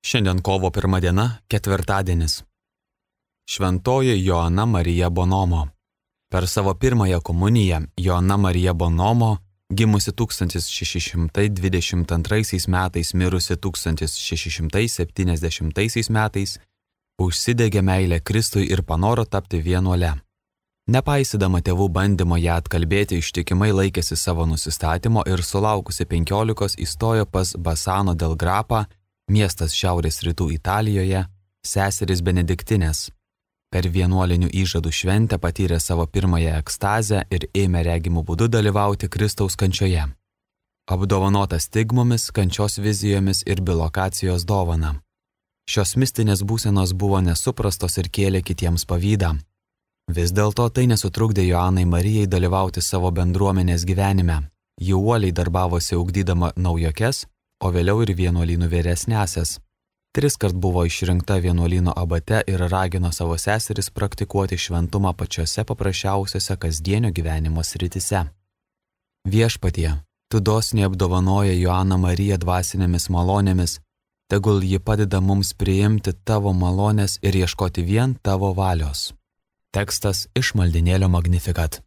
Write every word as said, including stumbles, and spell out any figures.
Šiandien kovo pirma diena, ketvirtadienis. Šventoji Joana Marija Bonomo. Per savo pirmąją komuniją Joana Marija Bonomo, gimusi tūkstantis šeši šimtai dvidešimt antraisiais metais, mirusi tūkstantis šeši šimtai septyniasdešimtaisiais metais, užsidegė meilę Kristui ir panoro tapti vienuole. Nepaisydama tėvų bandymo ją atkalbėti, ištikimai laikėsi savo nusistatymo ir sulaukusi penkiolikos įstojo pas Basano del Grapą, miestas šiaurės rytų Italijoje, seserys Benediktinės. Per vienuolinių įžadų šventę patyrė savo pirmąją ekstazę ir ėmė regimų būdu dalyvauti Kristaus kančioje. Apdovanota stigmomis, kančios vizijomis ir bilokacijos dovana. Šios mistinės būsenos buvo nesuprastos ir kėlė kitiems pavydą. Vis dėlto tai nesutrukdė Joanai Marijai dalyvauti savo bendruomenės gyvenime. Ji uoliai darbavosi ugdydama naujokes, o vėliau ir vienuolynų vyresnesias. Tris kart buvo išrinkta vienuolyno abate ir ragino savo seseris praktikuoti šventumą pačiose paprasčiausiose kasdienio gyvenimo srityse. Viešpatie, tu dosniai apdovanoja Joaną Mariją dvasinėmis malonėmis, tegul ji padeda mums priimti tavo malonės ir ieškoti vien tavo valios. Tekstas iš maldinėlio Magnificat.